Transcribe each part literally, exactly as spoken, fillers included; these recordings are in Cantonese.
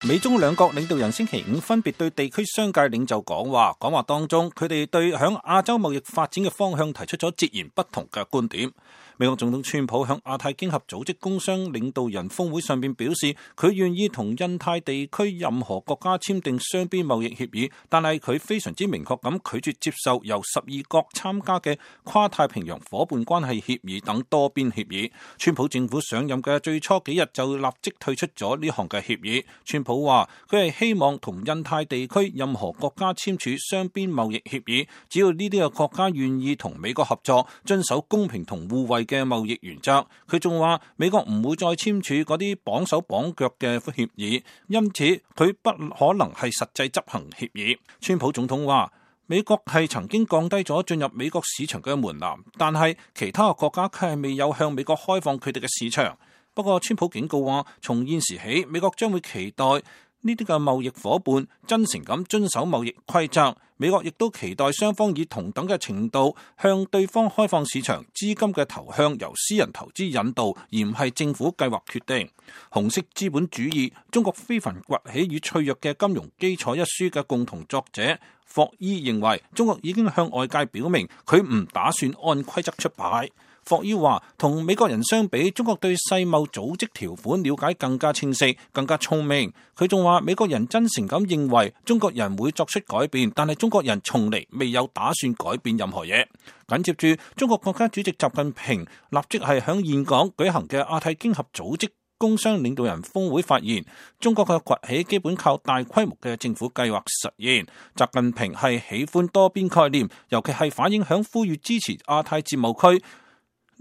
美中兩國領導人星期五分別對地區商界領袖講話，講話當中佢哋對響亞洲貿易發展嘅方向提出咗截然不同嘅觀點。美國總統川普響亞太經合組織工商領導人峰會上面表示，佢願意同印太地區任何國家簽訂雙邊貿易協議，但係佢非常之明確咁拒絕接受由十二國參加嘅跨太平洋夥伴關係協議等多邊協議。川普政府上任嘅最初幾日就立即退出咗呢項嘅協議。川普話佢係希望同印太地區任何國家簽署雙邊貿易協議，只要呢啲嘅國家願意同美國合作，遵守公平同互惠嘅貿易原則。佢仲話美國唔會再簽署嗰啲綁手綁腳嘅協議，因此佢不可能係實際執行協議。川普總統話美國係曾經降低咗進入美國市場嘅門檻，但係其他嘅國家卻係未有向美國開放佢哋嘅市場。不過川普警告話，從現時起，美國將會期待呢啲嘅貿易夥伴真誠咁遵守貿易規則。美國亦都期待雙方以同等嘅程度向對方開放市場，資金嘅投向由私人投資引導，而唔係政府計劃決定。紅色資本主義：中國非凡崛起與脆弱嘅金融基礎一書嘅共同作者霍伊認為，中國已經向外界表明佢唔打算按規則出牌。霍伊話，同美國人相比，中國對世貿組織條款了解更加清晰，更加聰明。佢仲話，美國人真誠咁認為中國人會作出改變，但係中國人從嚟未有打算改變任何嘢。緊接住，中國國家主席習近平立即係響峴港舉行嘅亞太經合組織工商領導人峰會發言，中國嘅崛起基本靠大規模嘅政府計劃實現。習近平係喜歡多邊概念，尤其係反映響呼籲支持亞太自貿區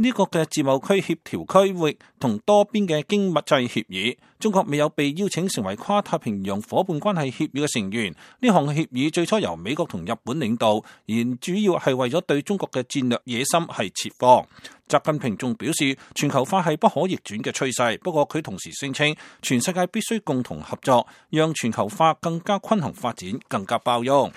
呢個嘅自貿區協調區域同多邊嘅經濟協議。中國未有被邀請成為跨太平洋夥伴關係協議嘅成員。呢項協議最初由美國同日本領導，而主要係為咗對中國嘅戰略野心係設防。習近平仲表示，全球化係不可逆轉嘅趨勢，不過佢同時聲稱，全世界必須共同合作，讓全球化更加均衡發展，更加包容。